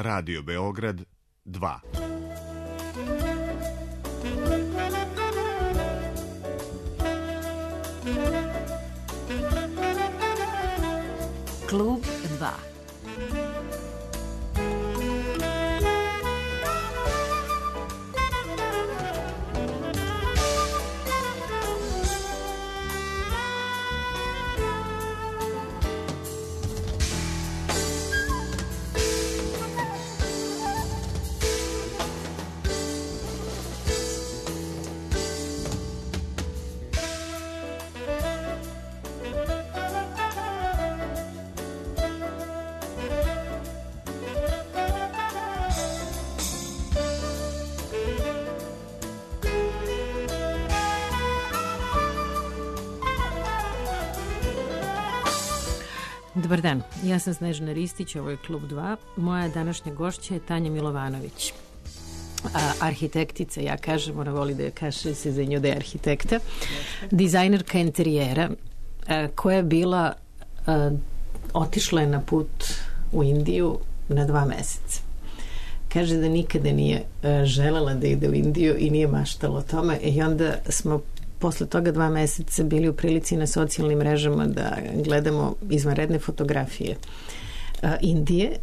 Radio Beograd 2. Klub 2. Dobar dan, ja sam Snežana Ristić, ovo je Klub 2. Moja današnja gošća je Tanja Milovanović, arhitektica, ja kažem, ona voli da je kaže se za nju da je arhitekta, dizajnerka interijera, koja je bila, otišla je na put u Indiju na 2 meseca. Kaže da nikada nije želela da ide u Indiju i nije maštala o tome i onda smo posle toga 2 meseca bili u prilici na socijalnim mrežama da gledamo izvanredne fotografije Indije.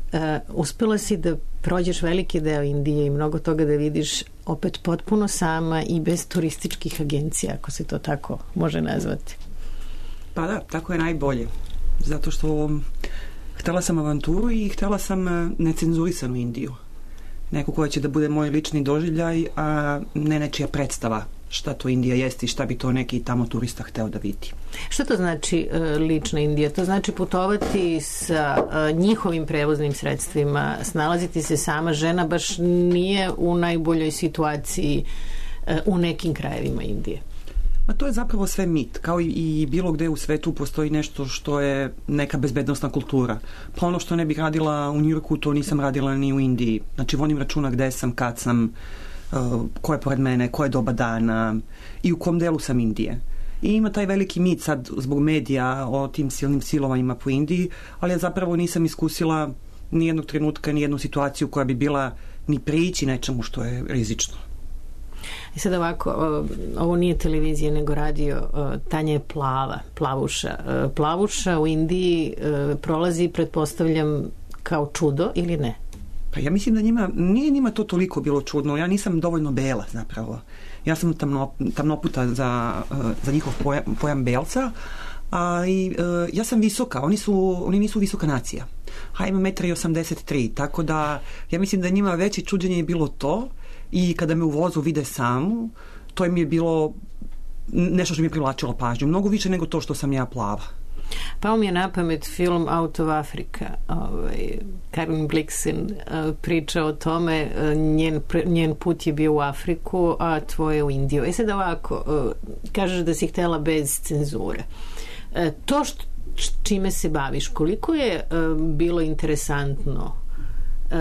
Uspela si da prođeš veliki deo Indije i mnogo toga da vidiš opet potpuno sama i bez turističkih agencija, ako se to tako može nazvati. Pa da, tako je najbolje. Zato što htela sam avanturu i htela sam necenzurisanu Indiju. Neko koja će da bude moj lični doživljaj, a ne nečija predstava šta to Indija jeste i šta bi to neki tamo turista hteo da vidi. Šta to znači lična Indija? To znači putovati sa njihovim prevoznim sredstvima, snalaziti se sama. Žena baš nije u najboljoj situaciji u nekim krajevima Indije. Ma to je zapravo sve mit. Kao i bilo gde u svetu postoji nešto što je neka bezbednostna kultura. Pa ono što ne bih radila u Njujorku, to nisam radila ni u Indiji. Znači vodim računa gde sam, kad sam, ko je pored mene, ko je doba dana i u kom delu sam Indije. I ima taj veliki mit sad zbog medija o tim silnim silovanjima po Indiji, ali ja zapravo nisam iskusila ni jednog trenutka, ni jednu situaciju koja bi bila ni prići nečemu što je rizično. I sad ovako, ovo nije televizija nego radio, Tanja je plavuša. Plavuša u Indiji prolazi, pretpostavljam, kao čudo ili ne? Pa ja mislim da nije njima to toliko bilo čudno. Ja nisam dovoljno bela zapravo. Ja sam tamnoputa za njihov pojam belca, a i ja sam visoka. Oni nisu visoka nacija. Imam 1,83 m, tako da ja mislim da njima veće čuđenje je bilo to i kada me u vozu vide samu, to im je bilo nešto što mi je privlačilo pažnju. Mnogo više nego to što sam ja plava. Pao mi je na pamet film Out of Africa. Karen Blixen priča o tome, njen put je bio u Afriku, a tvoje u Indiju. Sad ovako, kažeš da si htela bez cenzure. To čime se baviš, koliko je bilo interesantno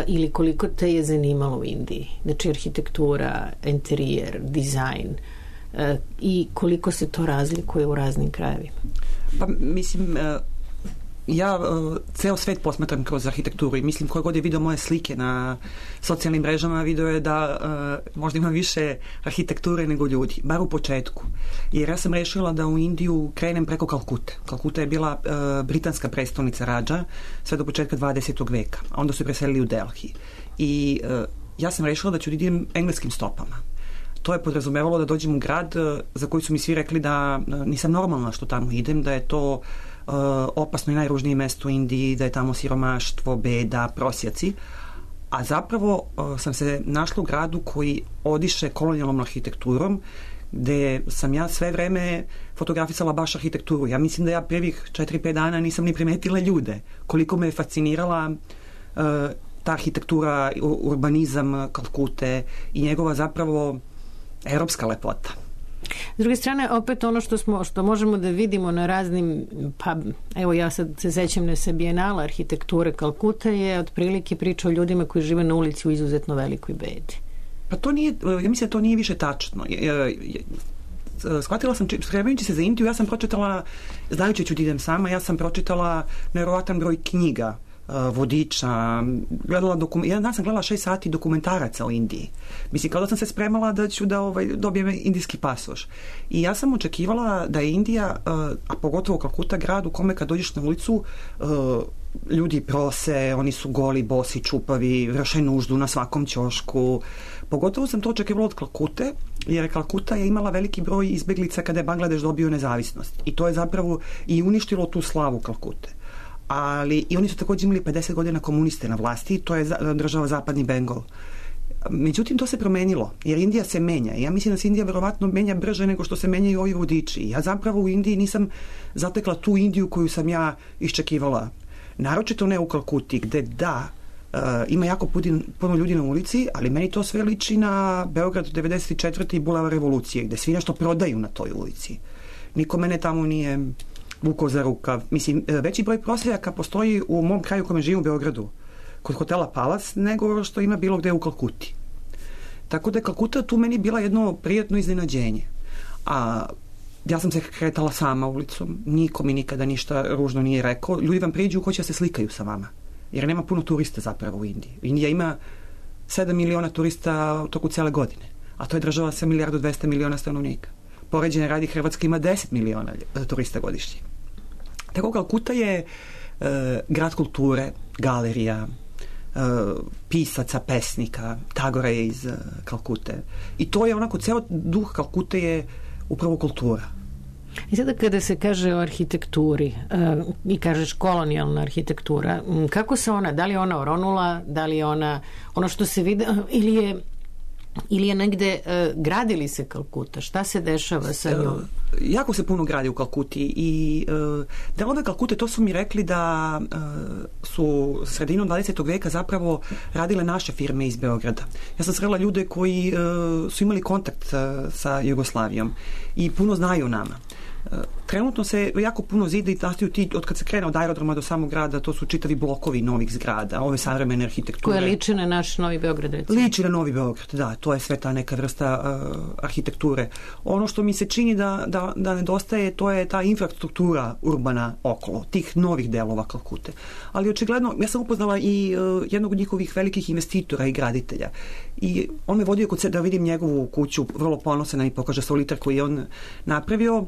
ili koliko te je zanimalo u Indiji? Znači arhitektura, interijer, dizajn i koliko se to razlikuje u raznim krajevima? Pa mislim, ja ceo svet posmatram kroz arhitekturu i mislim koje god je video moje slike na socijalnim mrežama, video je da možda ima više arhitekture nego ljudi, bar u početku. Jer ja sam rešila da u Indiju krenem preko Kalkute. Kalkuta je bila britanska prestolnica Radža sve do početka 20. veka. Onda su je preselili u Delhi. I ja sam rešila da ću idem engleskim stopama. To je podrazumevalo da dođem u grad za koji su mi svi rekli da nisam normalna što tamo idem, da je to opasno i najružnije mesto u Indiji, da je tamo siromaštvo, beda, prosjaci. A zapravo sam se našla u gradu koji odiše kolonijalnom arhitekturom, gde sam ja sve vreme fotografisala baš arhitekturu. Ja mislim da ja prvih 4-5 dana nisam ni primetila ljude. Koliko me je fascinirala ta arhitektura, urbanizam Kalkute i njegova zapravo evropska lepota. S druge strane, opet ono što možemo da vidimo na raznim, pa evo ja sad se sećam na Bijenala arhitekture Kalkuta je otprilike priča o ljudima koji žive na ulici u izuzetno velikoj bedi. Pa to nije, ja mislim da to nije više tačno. Shvatila sam, spremajući se za Indiju, ja sam pročitala, znajući ću da idem sama, ja sam pročitala nevjerovatan broj knjiga vodiča, jedan dan sam gledala 6 sati dokumentaraca o Indiji. Mislim, kao da sam se spremala da ću da dobijem indijski pasoš. I ja sam očekivala da je Indija, a pogotovo Kalkuta, grad u kome kad dođeš na ulicu, ljudi prose, oni su goli, bosi, čupavi, vrše nuždu na svakom ćošku. Pogotovo sam to očekivala od Kalkute, jer Kalkuta je imala veliki broj izbeglica kada je Bangladeš dobio nezavisnost. I to je zapravo i uništilo tu slavu Kalkute. Ali i oni su također imali 50 godina komuniste na vlasti, to je država Zapadni Bengal. Međutim, to se promenilo, jer Indija se menja. Ja mislim da se Indija verovatno menja brže nego što se menjaju ovi vodiči. Ja zapravo u Indiji nisam zatekla tu Indiju koju sam ja iščekivala. Naročito ne u Kalkuti, gde ima jako puno ljudi na ulici, ali meni to sve liči na Beograd 94. i Bulevar Revolucije, gde svi nešto prodaju na toj ulici. Niko mene tamo nije vukao za rukav. Mislim, veći broj prosjaka postoji u mom kraju u kojem živim u Beogradu, kod hotela Palace, nego što ima bilo gde u Kalkuti. Tako da je Kalkuta tu meni bila jedno prijatno iznenađenje. A ja sam se kretala sama ulicom, niko mi nikada ništa ružno nije rekao. Ljudi vam priđu ko će se slikaju sa vama, jer nema puno turista zapravo u Indiji. Indija ima 7 miliona turista u toku cele godine, a to je država sa 1.200.000.000 stanovnika. Poređenja radi, Hrvatska ima 10 miliona turista godišnje. Tako Kalkuta je grad kulture, galerija, pisaca, pesnika, Tagore je iz Kalkute. I to je onako, ceo duh Kalkute je upravo kultura. I sada kada se kaže o arhitekturi i kažeš kolonijalna arhitektura, kako se ona, da li je ona oronula, da li je ona ono što se vidi, ili je negde gradili se Kalkuta? Šta se dešava sa njom? Jako se puno gradi u Kalkuti i delove Kalkute, to su mi rekli da su sredinom 20. veka zapravo radile naše firme iz Beograda. Ja sam srela ljude koji su imali kontakt sa Jugoslavijom i puno znaju o nama. Trenutno se jako puno zida i nastaju ti, od kad se krene od aerodroma do samog grada, to su čitavi blokovi novih zgrada, ove savremene arhitekture. Koje liči na naš Novi Beograd, recimo? Liči na Novi Beograd, da, to je sve ta neka vrsta arhitekture. Ono što mi se čini da nedostaje, to je ta infrastruktura urbana okolo, tih novih delova Kalkute. Ali očigledno, ja sam upoznala i jednog od njihovih velikih investitora i graditelja. I on me vodio kod se da vidim njegovu kuću, vrlo ponosan i pokaže solitar koji je on napravio.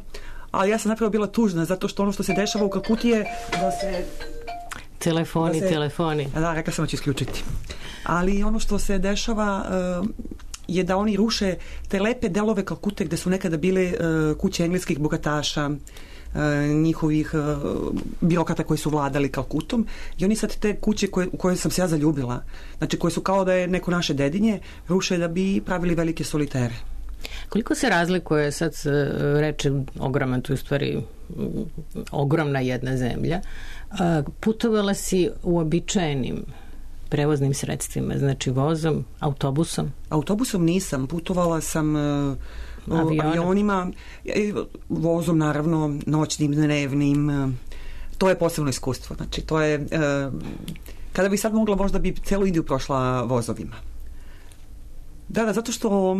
Ali ja sam napravo bila tužna, zato što ono što se dešava u Kalkuti je da se... Telefoni. Da, rekla sam da ću isključiti. Ali ono što se dešava je da oni ruše te lepe delove Kalkute gde su nekada bile kuće engleskih bogataša, njihovih birokrata koji su vladali Kalkutom, i oni sad te kuće u koje sam se ja zaljubila, znači koje su kao da je neko naše dedinje, ruše da bi pravili velike solitere. Koliko se razlikuje, sad se reče ogroman, tu u stvari ogromna jedna zemlja, putovala si uobičajenim prevoznim sredstvima, znači vozom, autobusom? Autobusom nisam, putovala sam avionima, vozom naravno, noćnim, dnevnim, to je posebno iskustvo, znači to je, kada bi sad mogla, možda bi celu Indiju prošla vozovima. Da, zato što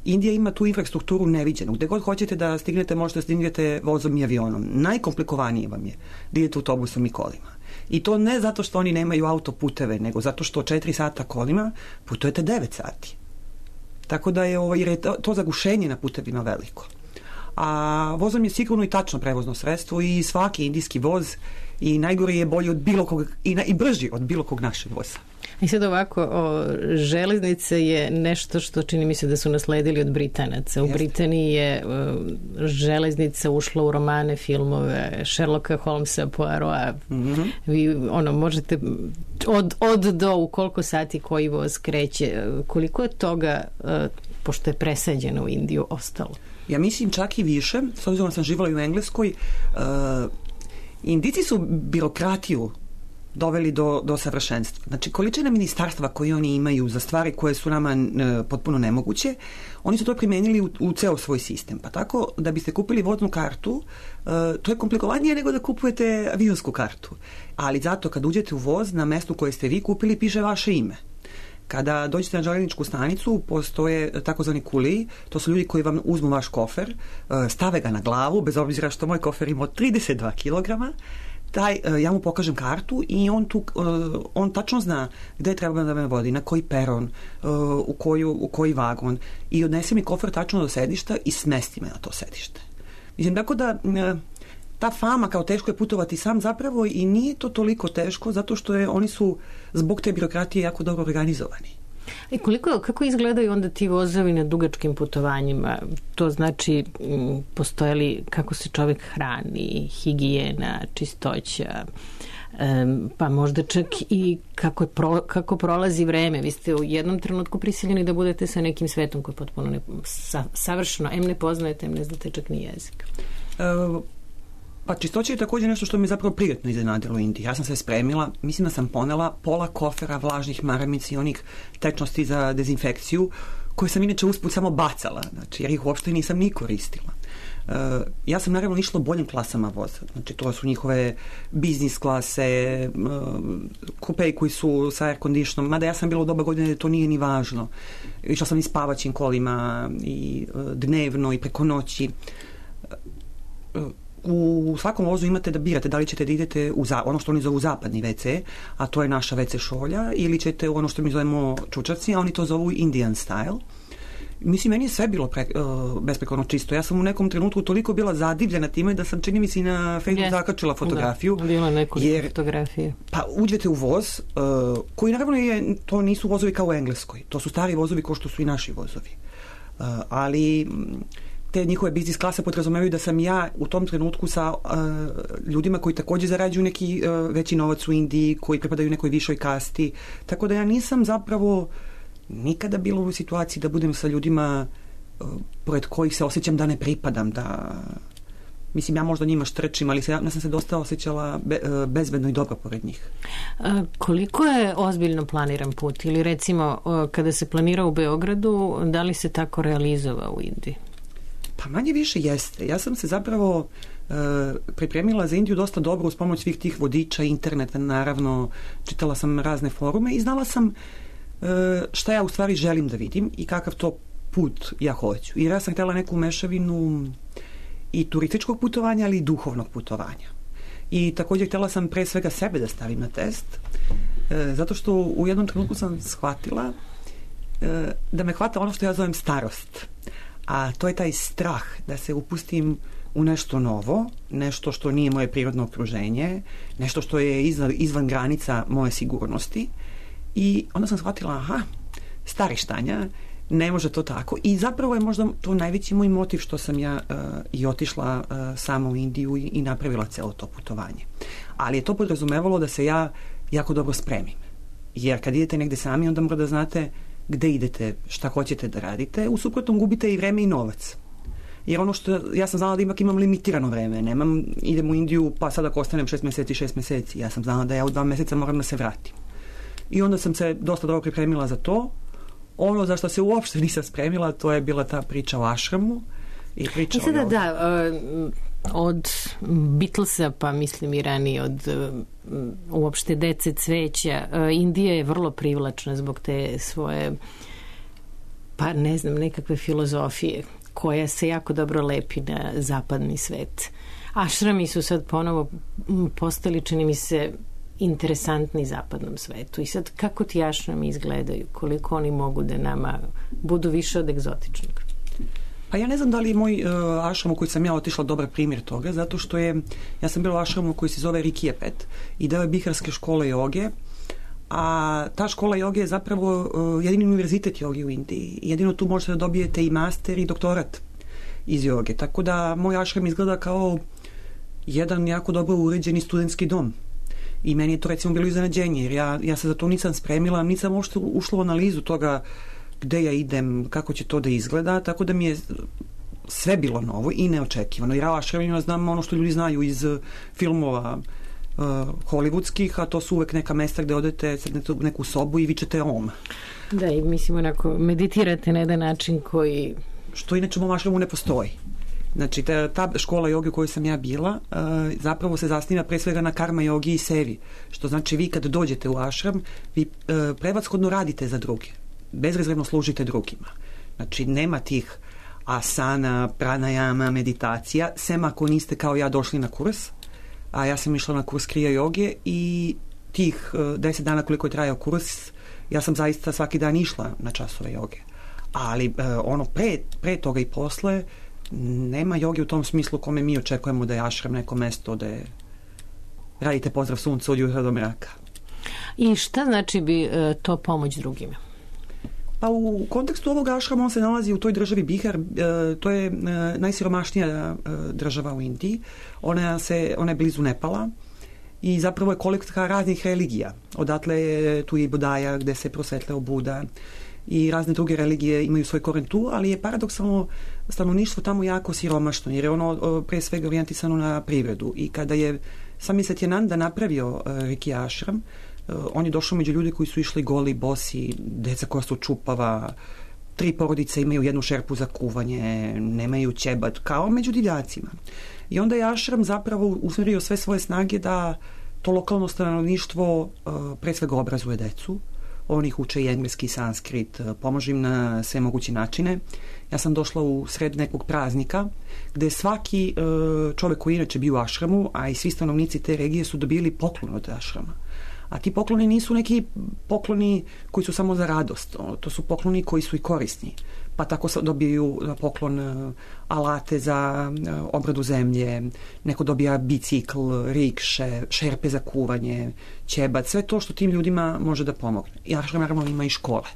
Indija ima tu infrastrukturu neviđenu. Gde god hoćete da stignete, možete da stignete vozom i avionom. Najkomplikovanije vam je da idete autobusom i kolima. I to ne zato što oni nemaju autoputeve, nego zato što 4 sata kolima putujete 9 sati. Tako da je, jer je to zagušenje na putevima veliko. A vozom je sigurno i tačno prevozno sredstvo i svaki indijski voz i najgori je bolji od bilo kog i brži od bilo kog našeg voza. I sad ovako, železnice je nešto što čini mi se da su nasledili od Britanaca. U Britaniji je železnica ušla u romane, filmove, Sherlocka Holmesa, Poirota. Vi možete od do u koliko sati koji voz kreće. Koliko je toga, pošto je presađeno u Indiju, ostalo? Ja mislim čak i više, s obzirom da sam živala i u Engleskoj, Indijci su birokratiju doveli do savršenstva. Znači, količina ministarstva koje oni imaju za stvari koje su nama potpuno nemoguće, oni su to primenili u ceo svoj sistem. Pa tako, da biste kupili voznu kartu, to je komplikovanije nego da kupujete avionsku kartu. Ali zato, kad uđete u voz, na mestu koje ste vi kupili, piše vaše ime. Kada dođete na železničku stanicu, postoje takozvani kuliji, to su ljudi koji vam uzmu vaš kofer, stave ga na glavu, bez obzira što moj kofer ima 32 kilograma, ja mu pokažem kartu i on tačno zna gde treba da me vodi, na koji peron, u koji vagon i odnese mi kofer tačno do sedišta i smesti me na to sedište. Mislim, tako da ta fama kao teško je putovati sam zapravo i nije to toliko teško zato što oni su zbog te birokratije jako dobro organizovani. I kako izgledaju onda ti vozovi na dugačkim putovanjima? To znači, postoje li kako se čovjek hrani, higijena, čistoća, pa možda čak i kako prolazi vreme. Vi ste u jednom trenutku prisiljeni da budete sa nekim svetom koji potpuno savršeno, ne poznajete, ne znate čak ni jezik. Pa čistoća je također nešto što mi zapravo prijetno iznenadilo u Indiji. Ja sam se spremila, mislim da sam ponela pola kofera vlažnih maramica i onih tečnosti za dezinfekciju, koje sam inače usput samo bacala, znači, jer ih uopšte nisam ni koristila. Ja sam naravno išla boljim klasama voza, znači to su njihove biznis klase, kupeji koji su sa air conditionom, mada ja sam bila u doba godine, to nije ni važno. Išla sam i spavaćim kolima i dnevno i preko noći. U svakom vozu imate da birate da li ćete da idete u ono što oni zovu zapadni WC, a to je naša WC šolja, ili ćete u ono što mi zovemo čučarci, a oni to zovu Indian style. Mislim, meni je sve bilo besprekorno čisto. Ja sam u nekom trenutku toliko bila zadivljena time da sam, čini mi se, na Facebook zakačila fotografiju. Da, bilo nekoliko fotografije. Pa uđete u voz, koji naravno to nisu vozovi kao u Engleskoj. To su stari vozovi kao što su i naši vozovi. Ali te njihove biznis klase podrazumevaju da sam ja u tom trenutku sa ljudima koji također zarađuju neki veći novac u Indiji, koji pripadaju nekoj višoj kasti. Tako da ja nisam zapravo nikada bila u situaciji da budem sa ljudima pored kojih se osjećam da ne pripadam, da mislim, ja možda njima štrčim, ali ja sam se dosta osjećala bezbedno i dobro pored njih. Koliko je ozbiljno planiran put? Ili recimo, kada se planira u Beogradu, da li se tako realizova u Indiji? Pa manje više jeste. Ja sam se zapravo pripremila za Indiju dosta dobro uz pomoć svih tih vodiča, interneta, naravno, čitala sam razne forume i znala sam šta ja u stvari želim da vidim i kakav to put ja hoću. Jer ja sam htjela neku mešavinu i turističkog putovanja, ali i duhovnog putovanja. I također htjela sam pre svega sebe da stavim na test, zato što u jednom trenutku sam shvatila da me hvata ono što ja zovem starost. A to je taj strah da se upustim u nešto novo, nešto što nije moje prirodno okruženje, nešto što je izvan granica moje sigurnosti. I onda sam shvatila, starištanja, ne može to tako. I zapravo je možda to najveći moj motiv što sam ja i otišla sama u Indiju i napravila celo to putovanje. Ali je to podrazumevalo da se ja jako dobro spremim. Jer kad idete negde sami, onda mora da znate gde idete, šta hoćete da radite, u suprotnom gubite i vreme i novac. Jer ono što, ja sam znala da ipak imam limitirano vreme, idem u Indiju, pa sad ako ostanem 6 meseci, ja sam znala da ja u 2 meseca moram da se vratim. I onda sam se dosta dobro pripremila za to. Ono za što se uopšte nisam spremila, to je bila ta priča o ašramu i priča o... Od Beatlesa, pa mislim i ranije od uopšte dece cveća, Indija je vrlo privlačna zbog te svoje, pa ne znam, nekakve filozofije koja se jako dobro lepi na zapadni svet. Ašrami su sad ponovo postali, čini mi se, interesantni zapadnom svetu. I sad, kako ti ašrami izgledaju? Koliko oni mogu da nama budu više od egzotičnog? Pa ja ne znam da li je moj ašram u koji sam ja otišla dobar primjer toga, zato što ja sam bila u ašramu koji se zove Rikijepet i deo je Biharske škole joge, a ta škola joge je zapravo jedini univerzitet joge u Indiji. Jedino tu možete da dobijete i master i doktorat iz joge. Tako da moj ašram izgleda kao jedan jako dobro uređeni studentski dom. I meni je to recimo bilo iznenađenje, jer ja se za to nisam spremila, nisam uopšte ušla u analizu toga gde ja idem, kako će to da izgleda, tako da mi je sve bilo novo i neočekivano. Jer ja ašramima znam ono što ljudi znaju iz filmova hollywoodskih, a to su uvek neka mesta gde odete, sednete u neku sobu i vičete om. Da, i mislim onako, meditirate na jedan način koji... Što inače u mom ašramu ne postoji. Znači, ta škola joge u kojoj sam ja bila zapravo se zasniva pre svega na karma jogi i sevi. Što znači vi kad dođete u ašram, vi prevashodno radite za druge. Bezrezervno služite drugima. Znači, nema tih asana, pranajama, meditacija, sem ako niste kao ja došli na kurs, a ja sam išla na kurs kriya joge i tih 10 dana koliko je trajao kurs, ja sam zaista svaki dan išla na časove joge. Ali ono pre toga i posle nema joge u tom smislu kome mi očekujemo da je ashram neko mesto da je radite pozdrav sunca od jutra do mraka. I šta znači bi to pomoć drugima? Pa u kontekstu ovog ashrama on se nalazi u toj državi Bihar, to je najsiromašnija država u Indiji. Ona je blizu Nepala i zapravo je kolekcija raznih religija. Odatle je tu i Budaja gde se prosvetljao Buda i razne druge religije imaju svoj koren tu, ali je paradoksalno stanovništvo tamo jako siromašno jer je ono pre svega orijentisano na privredu i kada je Sami Satyananda napravio Riki ashram, on je došao među ljude koji su išli goli, bosi, deca koja su čupava, 3 porodice imaju jednu šerpu za kuvanje, nemaju ćebat, kao među divljacima. I onda je ashram zapravo usmjerio sve svoje snage da to lokalno stanovništvo pre svega obrazuje decu. On ih uče i engleski i sanskrit, pomaže im na sve moguće načine. Ja sam došla u sred nekog praznika gde svaki čovek koji inače bio u ashramu, a i svi stanovnici te regije su dobili poklon od ashrama. A ti pokloni nisu neki pokloni koji su samo za radost, to su pokloni koji su i korisni. Pa tako dobiju poklon alate za obradu zemlje, neko dobija bicikl, rikše, šerpe za kuvanje, ćebat, sve to što tim ljudima može da pomogne. I ashram naravno ima i škole.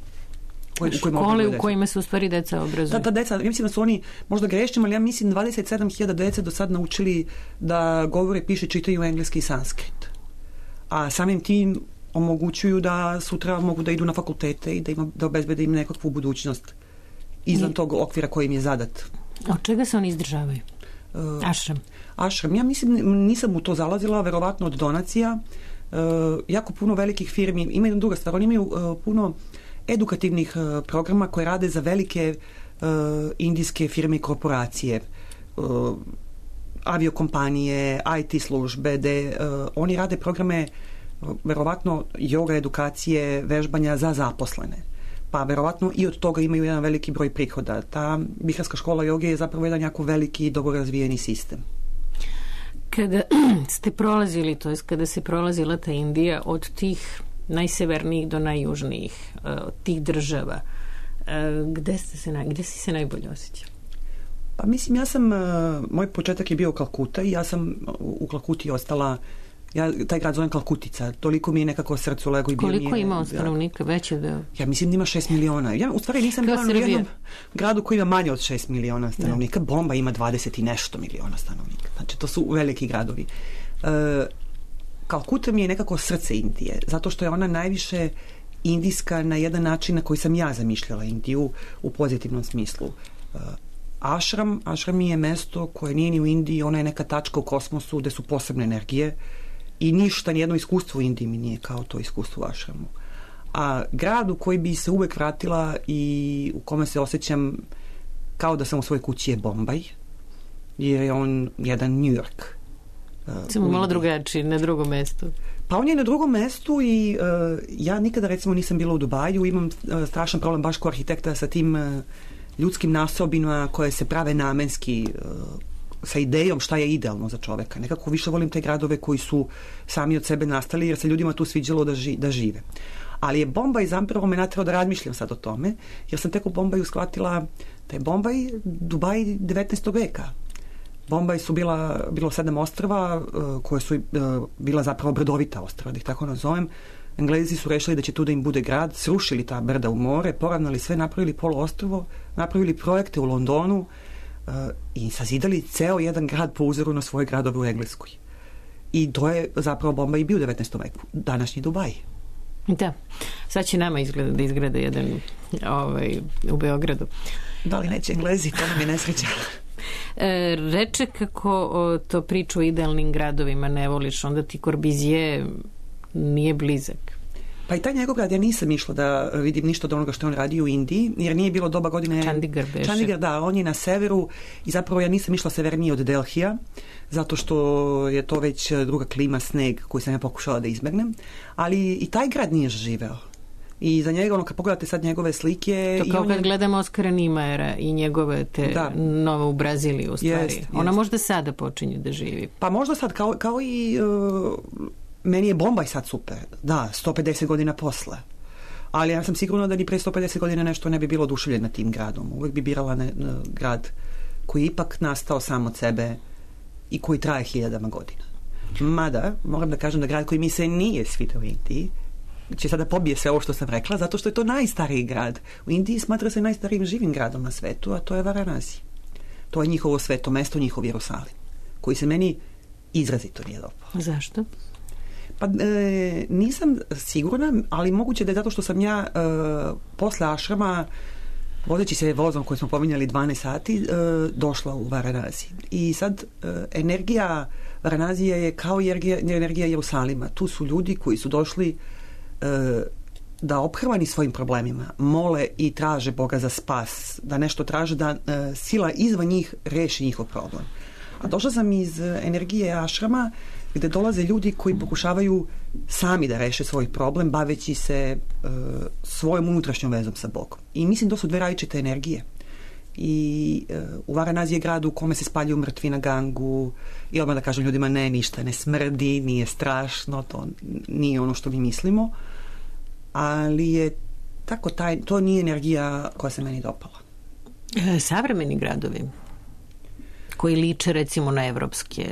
Škole u kojima se u stvari deca obrazuju. Ta deca, ja mislim da su oni možda grešnim, ali ja mislim 27.000 dece do sad naučili da govore, piše, čitaju engleski i sanskrit. A samim tim omogućuju da sutra mogu da idu na fakultete i da obezbede im nekakvu budućnost izvan tog okvira koji im je zadat. Od čega se oni izdržavaju? Ashram. Ashram. Ja mislim, nisam u to zalazila, verovatno od donacija. Jako puno velikih firmi. Ima jedna druga stvar. Oni imaju puno edukativnih programa koje rade za velike indijske firme i korporacije. Aviokompanije, IT službe, gde oni rade programe verovatno joga edukacije, vežbanja za zaposlene. Pa verovatno i od toga imaju jedan veliki broj prihoda. Ta Biharska škola joge je zapravo jedan jako veliki i dobro razvijeni sistem. Kada ste prolazili, to je kada se prolazila ta Indija od tih najsevernijih do najjužnijih, od tih država, gde si se najbolje osjećao? Pa mislim, moj početak je bio Kalkuta i ja sam u Kalkuti ostala, ja taj grad zovem Kalkutica, toliko mi je nekako srcu lego i bio mi je... Koliko ima stanovnika, veće da... Ja mislim da ima 6 miliona. Ja u stvari nisam bila u jednom gradu koji ima manje od 6 miliona stanovnika. Bomba ima 20 i nešto miliona stanovnika. Znači, to su veliki gradovi. Kalkuta mi je nekako srce Indije, zato što je ona najviše indijska na jedan način na koji sam ja zamišljala Indiju u pozitivnom smislu. Ashram je mesto koje nije ni u Indiji, ona je neka tačka u kosmosu gde su posebne energije i ništa, nijedno iskustvo u Indiji mi nije kao to iskustvo u ashramu. A grad u koji bi se uvek vratila i u kome se osjećam kao da sam u svojoj kući je Bombaj, jer je on jedan New York. Samo malo drugačiji, na drugom mestu. Pa on je na drugom mestu i ja nikada recimo nisam bila u Dubaju, imam strašan problem baš kao arhitekta sa tim ljudskim nasobinama koje se prave namenski sa idejom šta je idealno za čoveka. Nekako više volim te gradove koji su sami od sebe nastali jer se ljudima tu sviđalo da žive. Ali je Bombaj zapravo me naterao da razmišljam sad o tome, jer sam tek u Bombaju shvatila da je Bombaj Dubaj 19. veka. Bombaj su bilo 7 ostrva koje su bila zapravo brdovita ostrva, da ih tako nazovem. Englezi su rešili da će tu da im bude grad, srušili ta brda u more, poravnali sve, napravili poluostrvo, napravili projekte u Londonu i sazidali ceo jedan grad po uzoru na svoje gradove u Engleskoj. I to je zapravo Bombaj i bio u 19. veku, današnji Dubaj. Da, sad će nama da izgleda jedan u Beogradu. Da li neće Englezi, to nam je nesreća. Reče kako to priču o idealnim gradovima ne voliš, onda ti Corbusier nije blizak. Pa i taj njegov grad, ja nisam išla da vidim ništa od onoga što on radi u Indiji, jer nije bilo doba godine... Chandigarh, da, on je na severu i zapravo ja nisam išla severnije od Delhija, zato što je to već druga klima, sneg, koju sam ja pokušala da izbegnem, ali i taj grad nije živeo. I za njega, kad pogledate sad njegove slike... To kao kad gledamo Oskara Nimajera i njegove te nove u Braziliji, u stvari. Ona možda sada počinje da živi. Pa možda sad, kao i... meni je Bombaj sad super. Da, 150 godina posle. Ali ja sam sigurna da ni pre 150 godina nešto ne bi bilo oduševljena tim gradom. Uvijek bi birala grad koji je ipak nastao sam od sebe i koji traje 1000 godina. Mada, moram da kažem da grad koji mi se nije svidio u Indiji će sada pobije sve ovo što sam rekla, zato što je to najstariji grad. U Indiji smatra se najstarijim živim gradom na svetu, a to je Varanasi. To je njihovo sveto mesto, njihov Jerusalim, koji se meni izrazito nije dopao. Zašto? Pa nisam sigurna, ali moguće da je zato što sam ja posle ašrama, vozeći se vozom koji smo pominjali 12 sati, došla u Varanasi. I sad energija Varanazije je kao energija Jerusalima. Tu su ljudi koji su došli da ophrvani svojim problemima mole i traže Boga za spas, da nešto traže, da sila izvan njih reši njihov problem. A došla sam iz energije ašrama gde dolaze ljudi koji pokušavaju sami da reše svoj problem baveći se svojom unutrašnjom vezom sa Bogom. I mislim da su dve različite energije. I u Varanasi je grad u kome se spaljuju mrtvi na Gangu i odmah da kažem ljudima ne, ništa ne smrdi, nije strašno, to nije ono što mi mislimo, ali je tako to nije energija koja se meni dopala. Savremeni gradovi koji liče recimo na evropske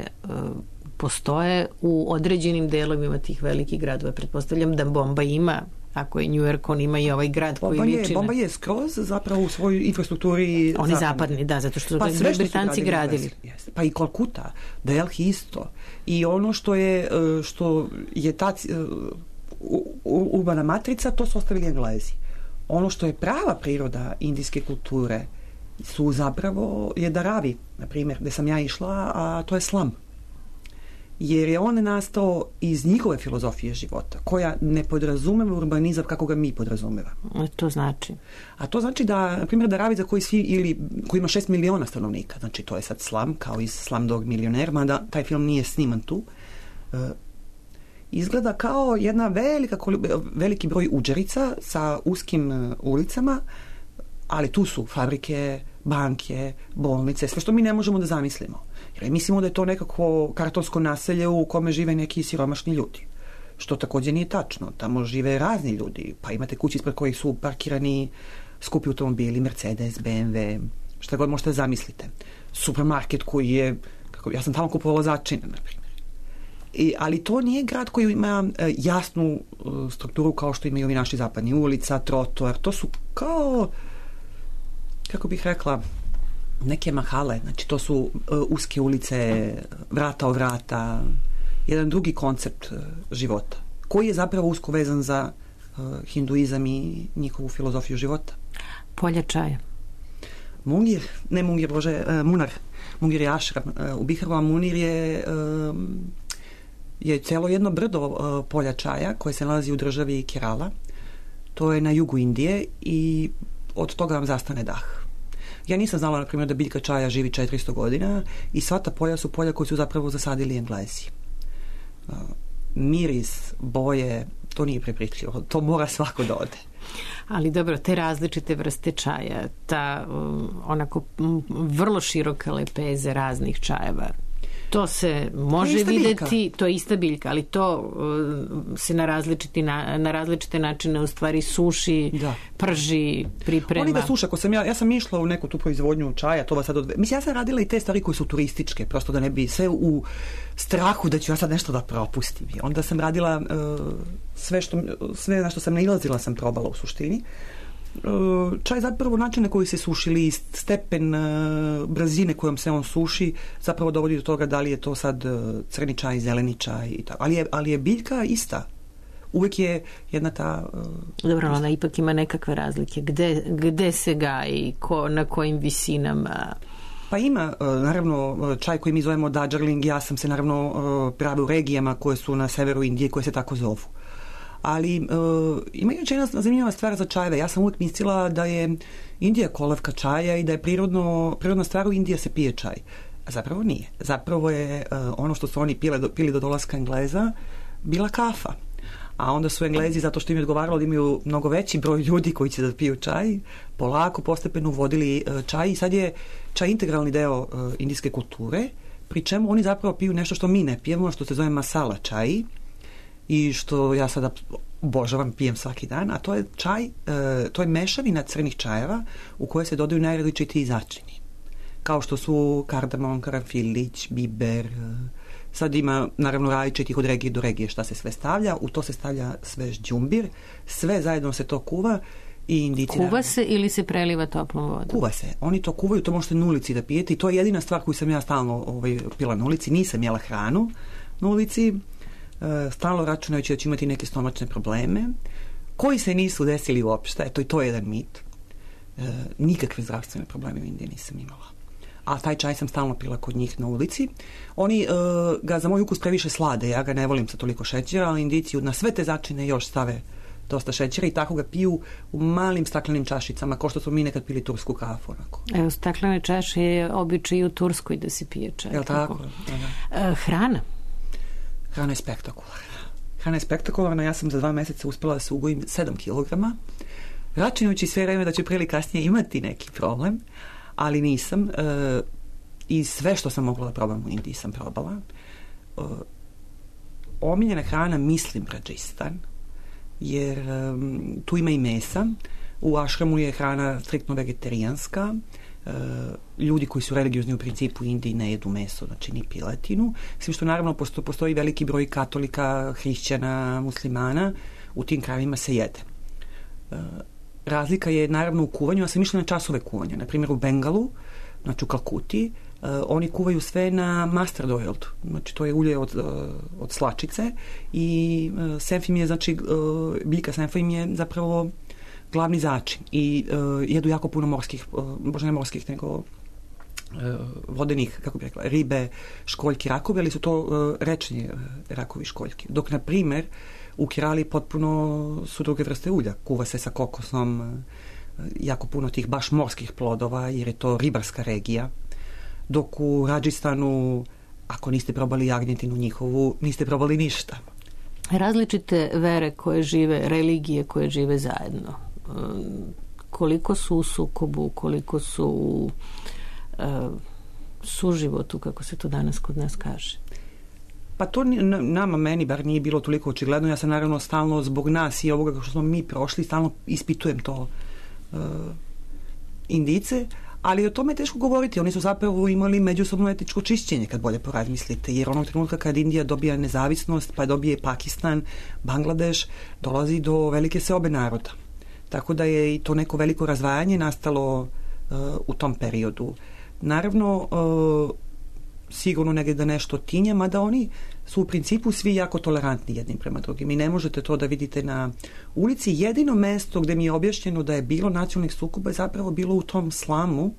postoje u određenim delovima tih velikih gradova. Pretpostavljam da Bombaj ima, ako je New York, on ima i ovaj grad koji liči na... Bombaj je skroz zapravo u svojoj infrastrukturi... Oni zapadni, da, zato što su Britanci gradili. Pa i Kolkuta, Delhi isto. I ono što je ta urbana matrica, to su ostavili Englezi. Ono što je prava priroda indijske kulture su zapravo je Dharavi, na primjer, gde sam ja išla, a to je slum. Jer je on nastao iz njihove filozofije života, koja ne podrazumeva urbanizam kako ga mi podrazumevamo. To znači? A to znači da, na primjer, Dharavi za koji ima 6 miliona stanovnika, znači to je sad slum, kao iz Slumdog Milioner, mada taj film nije sniman tu, izgleda kao jedna veliki broj udžerica sa uskim ulicama, ali tu su fabrike, banke, bolnice, sve što mi ne možemo da zamislimo. Jer mislimo da je to nekako kartonsko naselje u kome žive neki siromašni ljudi. Što također nije tačno. Tamo žive razni ljudi. Pa imate kući ispred kojih su parkirani skupi automobili, Mercedes, BMW, šta god možete zamislite. Supermarket koji je, ja sam tamo kupovala začine, na primjer. Ali to nije grad koji ima jasnu strukturu kao što imaju ovi naši zapadni ulica, trotoar. To su kao, kako bih rekla, neke mahale, znači to su uske ulice, vrata o vrata, jedan drugi koncept života, koji je zapravo usko vezan za hinduizam i njihovu filozofiju života. Polja čaja. Munar. Mungir je ašram. U Biharu, a Munir je celo jedno brdo polja čaja koje se nalazi u državi Kerala. To je na jugu Indije i od toga vam zastane dah. Ja nisam znala, na primjer, da biljka čaja živi 400 godina i sva ta polja su polja koji su zapravo zasadili Englezi. Miris, boje, to nije prepričljivo. To mora svako da ode. Ali dobro, te različite vrste čaja, ta onako vrlo široka lepeze raznih čajeva, to se može videti, to je ista biljka, ali to se na različite načine u stvari suši, prži, priprema. Oni ga suše, ja sam išla u neku tu proizvodnju čaja, to vas sad mislim, ja sam radila i te stvari koje su turističke, prosto da ne bi sve u strahu da ću ja sad nešto da propustim. I onda sam radila sve na što sam nailazila sam probala u suštini. Čaj zapravo način na koji se sušili, stepen brzine kojom se on suši zapravo dovodi do toga da li je to sad crni čaj, zeleni čaj i tako. Ali je biljka ista. Uvijek je jedna ta... Dobro, ona ipak ima nekakve razlike. Gde se gaji, na kojim visinama? Pa ima, naravno, čaj koji mi zovemo Darjeeling, ja sam se naravno pravila u regijama koje su na severu Indije koje se tako zovu. Ali ima jedna zanimljiva stvar za čajeve. Ja sam uvijek mislila da je Indija kolevka čaja i da je prirodna stvar u Indiji se pije čaj. A zapravo nije. Zapravo je ono što su oni pili do dolaska Engleza bila kafa. a onda su Englezi, zato što im je odgovaralo da imaju mnogo veći broj ljudi koji će da piju čaj, polako, postepeno uvodili čaj i sad je čaj integralni deo indijske kulture, pri čemu oni zapravo piju nešto što mi ne pijemo, što se zove masala čaj i što ja sada obožavam, pijem svaki dan, a to je čaj, to je mešavina crnih čajeva u koje se dodaju najrazličitiji začini. Kao što su kardamon, karanfilić, biber, sad ima naravno različitih od regije do regije šta se sve stavlja, u to se stavlja svež đumbir, sve zajedno se to kuva i Indijci... Kuva se ili se preliva toplom vodom? Kuva se, oni to kuvaju, to možete na ulici da pijete i to je jedina stvar koju sam ja stalno pila na ulici, nisam jela hranu na ulici, stalno računajući da će imati neke stomačne probleme, koji se nisu desili uopšte, eto i to je jedan mit. Nikakve zdravstvene probleme u Indiji nisam imala. A taj čaj sam stalno pila kod njih na ulici. Oni ga za moj ukus previše slade, ja ga ne volim sa toliko šećera, ali Indijci na sve te začine još stave dosta šećera i tako ga piju u malim staklenim čašicama, kao što smo mi nekad pili tursku kafu. Onako. Evo, staklene čaše je običaj u Turskoj da se pije čaj. Jel tako? Hrana? Hrana je spektakularna. Hrana je spektakularna, ja sam za 2 meseca uspjela da se ugojim 7 kilograma, računajući sve vreme da ću prije ili kasnije imati neki problem, ali nisam. I sve što sam mogla da probam u Indiji sam probala. Omiljena hrana, mislim, Rajasthan, jer tu ima i mesa. U ašramu je hrana striktno vegetarijanska. Ljudi koji su religiozni u principu u Indiji ne jedu meso, znači ni piletinu. Svim što naravno postoji veliki broj katolika, hrišćana, muslimana. U tim krajevima se jede. Razlika je naravno u kuvanju, ja sam išla na časove kuvanja. Na primjer u Bengalu, znači u Kalkuti, oni kuvaju sve na mustard oil, znači to je ulje od slačice i senfim je, znači biljka senfim je zapravo glavni začin i jedu jako puno morskih, možda ne morskih, nego vodenih, kako bih rekla, ribe, školjki, rakovi, ali su to rečni rakovi školjki. Dok, na primjer, u Kerali potpuno su druge vrste ulja. Kuva se sa kokosom, jako puno tih baš morskih plodova, jer je to ribarska regija. Dok u Rajasthanu, ako niste probali jagnjetinu njihovu, niste probali ništa. Različite vere koje žive, religije koje žive zajedno. Koliko su u sukobu, koliko su u suživotu, kako se to danas kod nas kaže? Pa to nama, meni bar nije bilo toliko očigledno. Ja sam naravno stalno zbog nas i ovoga što smo mi prošli, stalno ispitujem to Indijce, ali o tome je teško govoriti. Oni su zapravo imali međusobno etičko čišćenje, kad bolje porazmislite, jer onog trenutka kad Indija dobija nezavisnost, pa dobije Pakistan, Bangladeš, dolazi do velike seobe naroda. Tako da je i to neko veliko razdvajanje nastalo u tom periodu. Naravno, sigurno negdje da nešto tinja, mada oni su u principu svi jako tolerantni jednim prema drugim i ne možete to da vidite na ulici. Jedino mesto gdje mi je objašnjeno da je bilo nacionalnih sukoba je zapravo bilo u tom slamu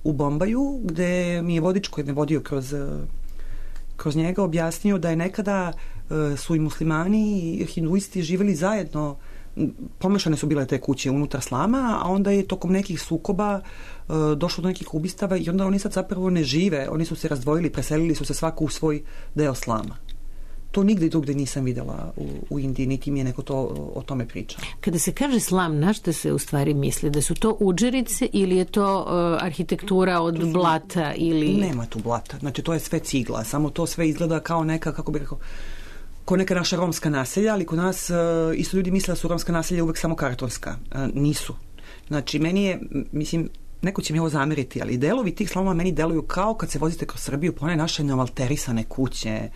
u Bombaju, gdje mi je vodič koji me vodio kroz njega objasnio da je nekada su i muslimani i hinduisti živjeli zajedno, pomešane su bile te kuće unutar slama, a onda je tokom nekih sukoba došlo do nekih ubistava i onda oni sad zapravo ne žive, oni su se razdvojili, preselili su se svako u svoj deo slama. To nigdje drugdje nisam vidjela u Indiji, niti mi je neko to o tome pričao. Kada se kaže slam, na što se u stvari misli? Da su to udžerice ili je to arhitektura od blata? Ili... Nema tu blata, znači to je sve cigla, samo to sve izgleda kao neka, kako bih rekao, kao neka naša romska naselja, ali kod nas isto ljudi misle da su romska naselja uvek samo kartonska. Nisu. Znači, meni je, mislim, neko će mi ovo zameriti, ali delovi tih slamova meni deluju kao kad se vozite kroz Srbiju po one naše neomalterisane kuće,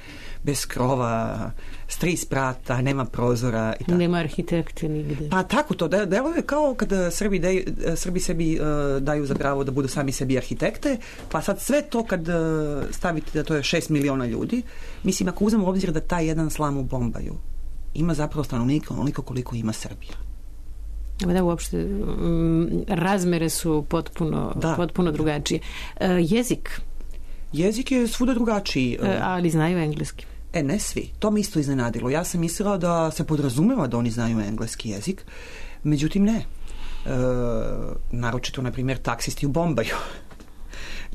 bez krova, s 3 sprata, nema prozora i tako. Nema arhitekte nigde. Pa tako to, deluje kao kad Srbi sebi daju za pravo da budu sami sebi arhitekte, pa sad sve to kad stavite da to je 6 miliona ljudi, mislim, ako uzmemo u obzir da taj jedan slam u Bombaju ima zapravo stanovnika onoliko koliko ima Srbija. Da, uopšte razmere su potpuno drugačije. Jezik? Jezik je svuda drugačiji. Ali znaju engleski? Ne svi. To me isto iznenadilo. Ja sam mislila da se podrazumeva da oni znaju engleski jezik, međutim ne. Naročito, na primjer, taksisti u Bombaju.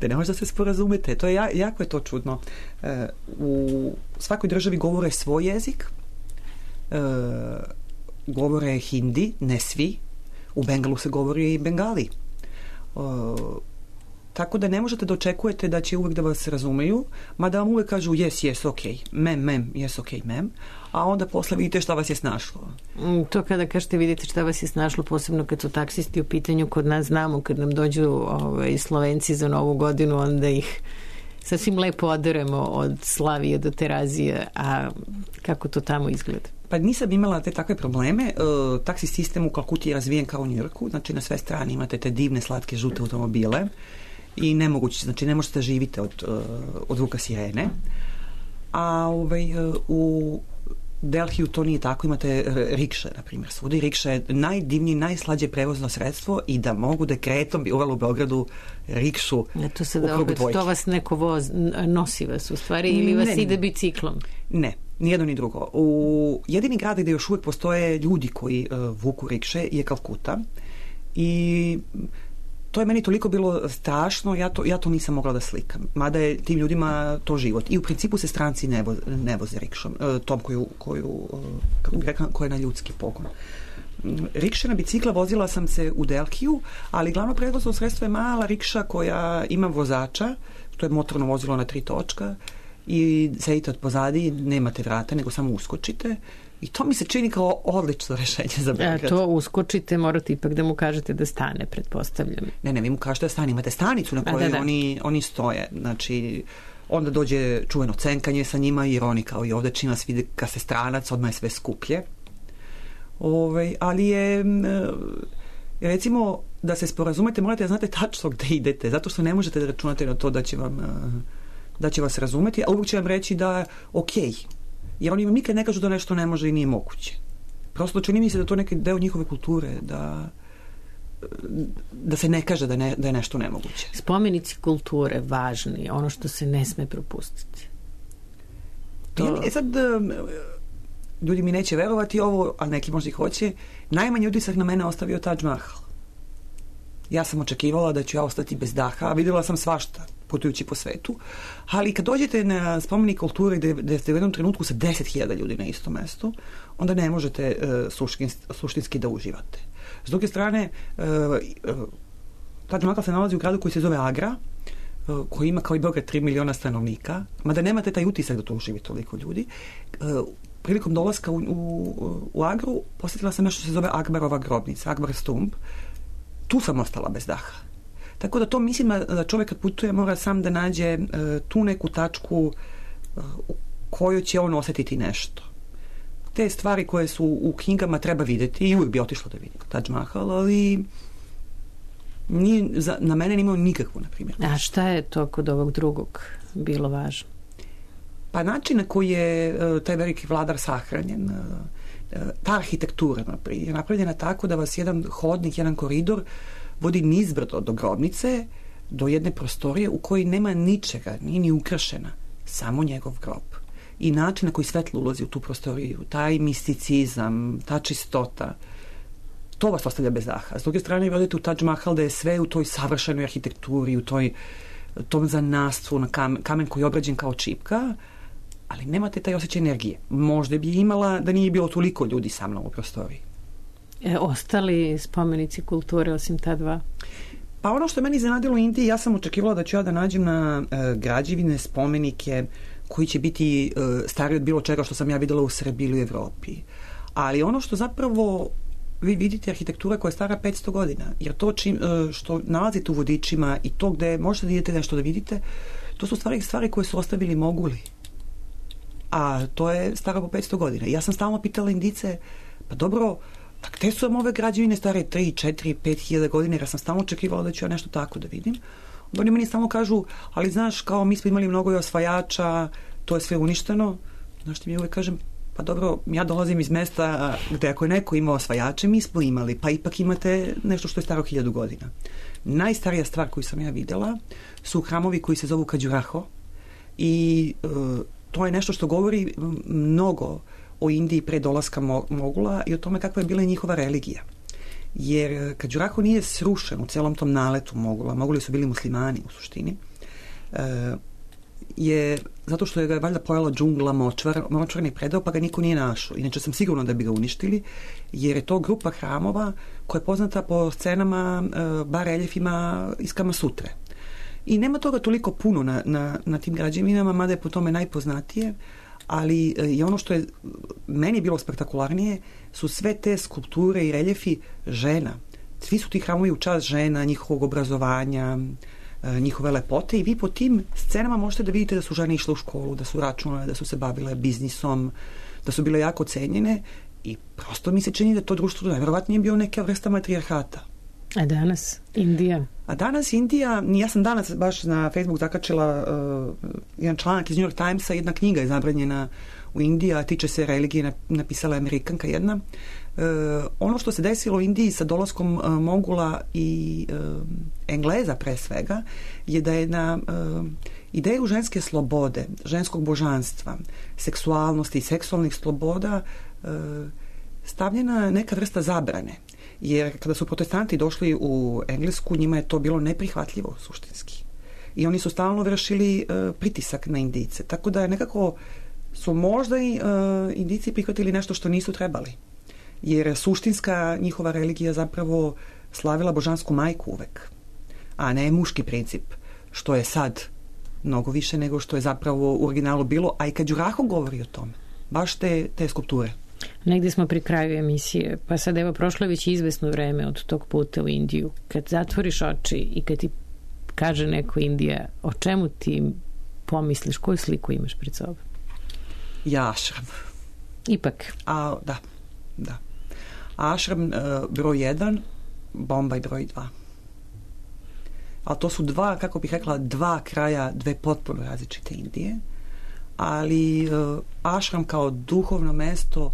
Da ne možda se sporazumete. To je jako je to čudno. U svakoj državi govore svoj jezik. govore hindi, ne svi. U Bengalu se govori bengali. Tako da ne možete da očekujete da će uvek da vas razumeju, mada vam uvek kažu yes, ok, mem, yes, ok, mem, a onda posle vidite šta vas je snašlo. To kada kažete vidite šta vas je snašlo, posebno kad su taksisti u pitanju, kod nas znamo, kad nam dođu Slovenci za Novu godinu, onda ih sasvim lepo oderemo od Slavije do Terazije, a kako to tamo izgleda? Pa nisam imala te takve probleme. Taksi sistem u Kalkuti je razvijen kao u Njujorku, znači na sve strane imate te divne, slatke, žute automobile i nemoguće, znači ne možete da živite od zvuka sirene. A u Delhiju to nije tako, imate rikše, na primjer, svuda i rikša je najdivnije, najslađe prevozno sredstvo i da mogu dekretom bi uvela u Beogradu rikšu u krug dvojke. To vas neko nosi vas u stvari ili vas ide biciklom? Ne, nijedno ni drugo. Jedini grad gde još uvijek postoje ljudi koji vuku rikše je Kalkuta i to je meni toliko bilo strašno, ja to nisam mogla da slikam. Mada je tim ljudima to život. I u principu se stranci ne voze rikšom, tom koja je na ljudski pogon. Rikše na bicikla vozila sam se u Delhiju, ali glavno prevozno sredstvo je mala rikša koja ima vozača, to je motorno vozilo na 3 točka i sedite od pozadi, nemate vrata, nego samo uskočite. I to mi se čini kao odlično rešenje za Beograd. To uskočite, morate ipak da mu kažete da stane, pretpostavljam. Ne, vi mu kažete da stane. Imate stanicu na kojoj oni stoje. Znači, onda dođe čuveno cenkanje sa njima, jer oni kao i ovde čim vas vide kad se stranac, odmah je sve skuplje. Ali je recimo da se sporazumete, morate da znate tačno gde idete, zato što ne možete da računate na to da će vas razumeti, a uvijek će vam reći da okej. Jer oni vam nikad ne kažu da nešto ne može i nije moguće. Prosto čini mi se da to neki deo njihove kulture, da se ne kaže da je nešto nemoguće. Spomenici kulture važni, ono što se ne sme propustiti. Sad, ljudi mi neće verovati ovo, a neki možda i hoće, najmanji utisak na mene ostavio Taj Mahal. Ja sam očekivala da ću ja ostati bez daha, a vidjela sam svašta putujući po svetu, ali kad dođete na spomenik kulture gde ste u jednom trenutku sa 10.000 ljudi na istom mestu, onda ne možete suštinski da uživate. S druge strane, Taj Mahal se nalazi u gradu koji se zove Agra, koji ima kao i Beograd 3 miliona stanovnika, mada nemate taj utisak da to uživi toliko ljudi. Prilikom dolaska u Agru posjetila sam nešto što se zove Akbarova grobnica, Akbar Stumb. Tu sam ostala bez daha. Tako da to mislim da čovjek kad putuje mora sam da nađe tu neku tačku u kojoj će on osjetiti nešto. Te stvari koje su u knjigama treba vidjeti i uvijek bi otišla da vidim Taj Mahal, ali na mene nije imao nikakvu, na primjer. A šta je to kod ovog drugog bilo važno? Pa način na koji je taj veliki vladar sahranjen, ta arhitektura je napravljena tako da vas jedan hodnik, jedan koridor vodi nizbrdo do grobnice, do jedne prostorije u kojoj nema ničega, nije ni ukrašena, samo njegov grob. I način na koji svetlo ulazi u tu prostoriju, taj misticizam, ta čistota, to vas ostavlja bez daha. S druge strane, odete u Taj Mahal da je sve u toj savršenoj arhitekturi, u tom zanastvu na kamen koji je obrađen kao čipka, ali nemate taj osjećaj energije. Možda bi imala da nije bilo toliko ljudi sa mnom u prostoriji. Ostali spomenici kulture osim ta dva? Pa ono što je meni zanadilo u Indiji, ja sam očekivala da ću ja da nađem na građevine, spomenike koji će biti stariji od bilo čega što sam ja videla u Srbiji ili u Evropi. Ali ono što zapravo vi vidite arhitektura koja je stara 500 godina, jer to što nalazite u vodičima i to gde možete da idete nešto da vidite, to su stvari koje su ostavili Moguli. A to je staro po 500 godina. Ja sam stalno pitala Indice, pa dobro, gde su vam ove građevine stare 3, 4, 5.000 godina, jer sam stalno očekivala da ću ja nešto tako da vidim. Oni meni stalno kažu, ali znaš, kao mi smo imali mnogo osvajača, to je sve uništeno. Znaš ti mi uvek kažem, pa dobro, ja dolazim iz mesta gde ako je neko imao osvajače, mi smo imali, pa ipak imate nešto što je staro 1000 godina. Najstarija stvar koju sam ja videla su hramovi koji se zovu Khajuraho i to je nešto što govori mnogo o Indiji pre dolaska Mogula i o tome kakva je bila njihova religija. Jer Khajuraho nije srušen u celom tom naletu Mogula. Moguli su bili muslimani u suštini. je zato što je ga valjda pojela džungla močvarni predeo, pa ga niko nije našao. Inače sam sigurno da bi ga uništili, jer je to grupa hramova koja je poznata po scenama, bar reljefima iz Kama Sutre. I nema toga toliko puno na tim građevinama, mada je po tome najpoznatije, ali i ono što je meni bilo spektakularnije su sve te skulpture i reljefi žena. Svi su ti hramovi u čast žena, njihovog obrazovanja, njihove lepote, i vi po tim scenama možete da vidite da su žene išle u školu, da su računale, da su se bavile biznisom, da su bile jako cenjene, i prosto mi se čini da to društvo najverovatnije bio neka vrsta matrijarhata. A danas Indija? A danas Indija, ja sam danas baš na Facebook zakačila jedan članak iz New York Timesa, jedna knjiga je zabranjena u Indiji, a tiče se religije, napisala je Amerikanka jedna. Ono što se desilo u Indiji sa dolaskom Mogula i Engleza pre svega je da je na ideju ženske slobode, ženskog božanstva, seksualnosti i seksualnih sloboda stavljena neka vrsta zabrane. Jer kada su protestanti došli u Englesku, njima je to bilo neprihvatljivo suštinski. I oni su stalno vršili pritisak na Indijce. Tako da je nekako su možda i Indijci prihvatili nešto što nisu trebali. Jer suštinska njihova religija zapravo slavila božansku majku uvek, a ne muški princip, što je sad mnogo više nego što je zapravo u originalu bilo, a i kad Đuraho govori o tome, baš te skulpture. Negdje smo pri kraju emisije, pa sad evo prošlo je već izvesno vreme od tog puta u Indiju. Kad zatvoriš oči i kad ti kaže neko Indija, o čemu ti pomisliš, koju sliku imaš pred sobom? Ja, ašram. Ipak. Da. Ašram broj 1, Bombaj broj 2. Ali to su kako bih rekla, dva kraja, dve potpuno različite Indije. Ali ašram kao duhovno mesto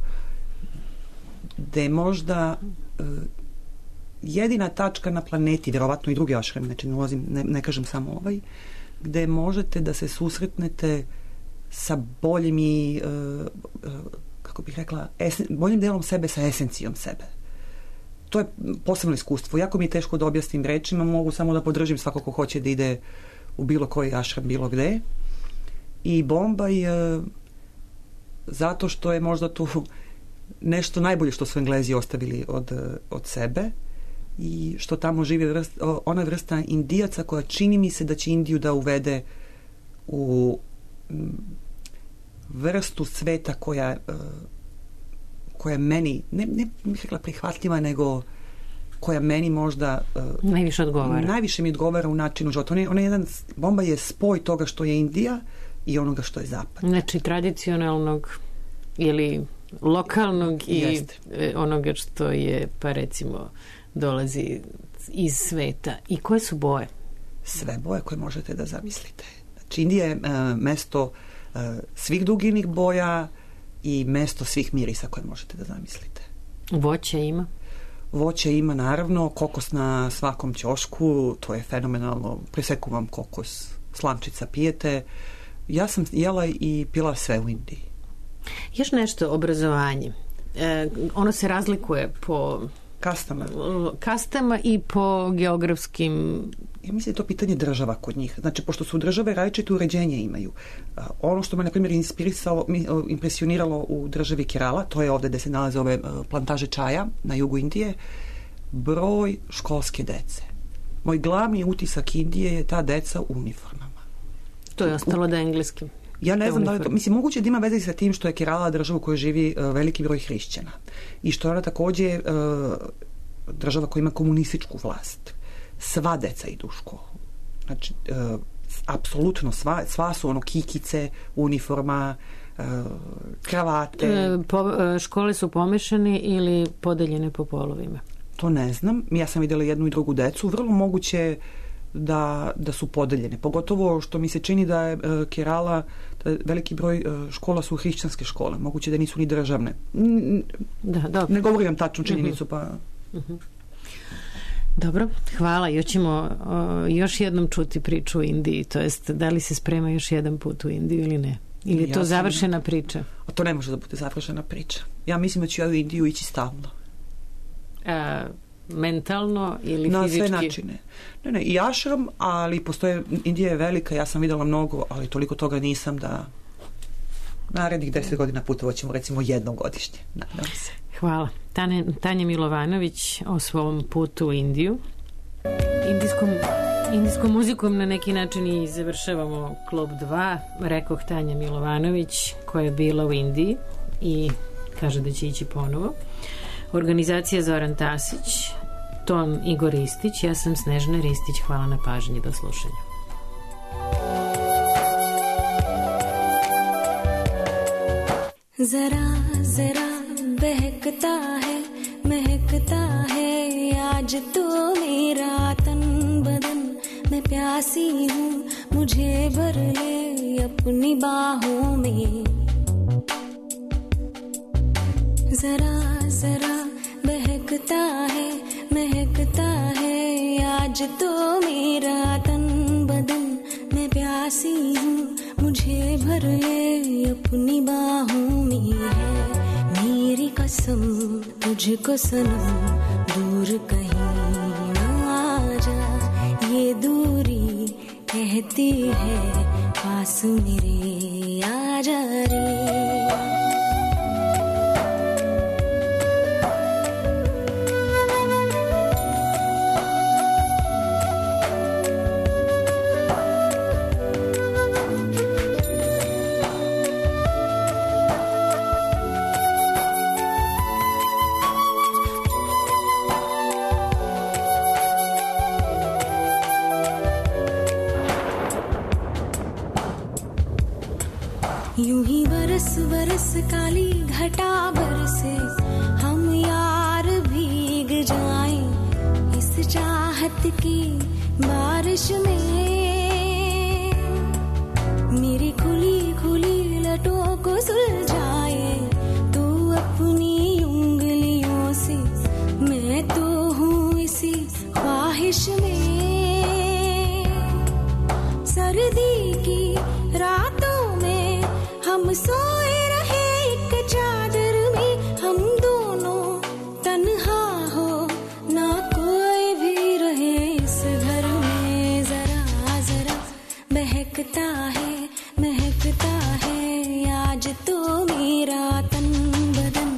gde je možda jedina tačka na planeti, vjerovatno i drugi ašram, znači ne kažem samo ovaj, gde možete da se susretnete sa boljim i kako bih rekla, boljim delom sebe sa esencijom sebe. To je posebno iskustvo. Jako mi je teško da objasnim rečima, mogu samo da podržim svako ko hoće da ide u bilo koji ašram, bilo gde. I Bombaj zato što je možda tu nešto najbolje što su Englezi ostavili od sebe i što tamo živi ona vrsta Indijaca koja čini mi se da će Indiju da uvede u vrstu sveta koja meni ne bih rekla prihvatljiva, nego koja meni možda najviše mi odgovara u načinu života. Bombaj je spoj toga što je Indija i onoga što je zapad. Znači tradicionalnog ili lokalnog i onoga što je, pa recimo, dolazi iz sveta. I koje su boje? Sve boje koje možete da zamislite. Znači Indija je mesto svih duginih boja i mesto svih mirisa koje možete da zamislite. Voće ima? Voće ima, naravno, kokos na svakom ćošku, to je fenomenalno, preseku vam kokos, slamčica pijete. Ja sam jela i pila sve u Indiji. Još nešto, obrazovanje. Ono se razlikuje po kastama i po geografskim... Ja mislim da je to pitanje država kod njih. Znači, pošto su države različite uređenje imaju. Ono što me, na primjer, impresioniralo u državi Kerala, to je ovdje gde se nalaze ove plantaže čaja na jugu Indije, broj školske dece. Moj glavni utisak Indije je ta deca u uniformama. To je ostalo da je engleski. Ja ne znam da li to... Mislim, moguće da ima veze sa tim što je Kerala država u kojoj živi veliki broj hrišćana. I što je ona također država koja ima komunističku vlast. Sva deca idu u školu. Znači, apsolutno sva su kikice, uniforma, kravate. Škole su pomešane ili podeljene po polovima? To ne znam. Ja sam vidjela jednu i drugu decu. Vrlo moguće da su podeljene. Pogotovo što mi se čini da je Kerala, da veliki broj škola su hrišćanske škole. Moguće da nisu ni državne. Ne govorim tačnu činjenicu, pa... Dobro, hvala. Još jednom čuti priču o Indiji, to jest da li se sprema još jedan put u Indiju ili ne? Ili je to završena priča? A to ne može da bude završena priča. Ja mislim da ću ja u Indiju ići stalno. mentalno ili na fizički? Na sve načine. Ne, i ašram, ali postoje, Indija je velika, ja sam vidjela mnogo, ali toliko toga nisam da narednih 10 godina putovat ćemo recimo jednom godišnje. Nadam se. Hvala. Tanja Milovanović o svom putu u Indiju. Indijskom muzikom na neki način i završavamo Klub 2. Rekoh Tanja Milovanović koja je bila u Indiji i kaže da će ići ponovo. Organizacija Zoran Tasić, ton Igor Ristić, ja sam Snežana Ristić. Hvala na pažnji, do slušanja. जरा जरा बहकता है महकता है आज तो मेरा तन बदन मैं प्यासी हूँ मुझे भर ले अपनी बाहों में जरा जरा बहकता है महकता है आज तो मेरा तन बदन मैं प्यासी हूँ मुझे भर ले अपनी बाहों में है मेरी कसम तुझको सनम दूर कहीं ना जा ये दूरी कहती है पास मेरे आ जा रे यूं ही बरस बरस काली घटा बरसे हम यार भीग जाएं इस चाहत की बारिश में मेरी खुली खुली लटों को सुलझाए तू अपनी उंगलियों से मैं तो हूँ इसी ख्वाहिश में सर्दी की रातों में हम सोए रहे एक चादर में हम दोनों तन्हा हो ना कोई भी रहे इस घर में जरा जरा महकता है आज तो मेरा तन बदन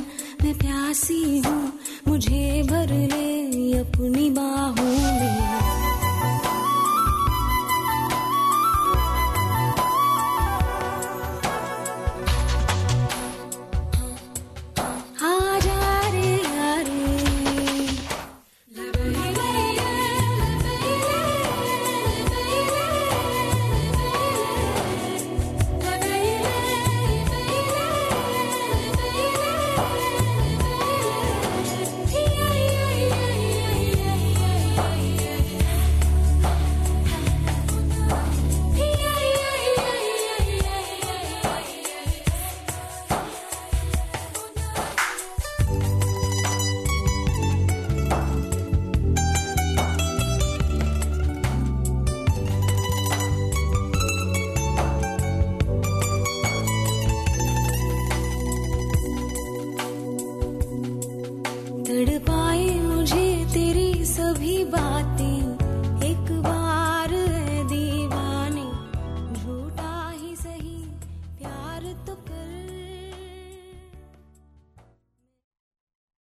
मैं प्यासी हूँ मुझे भर ले अपनी बात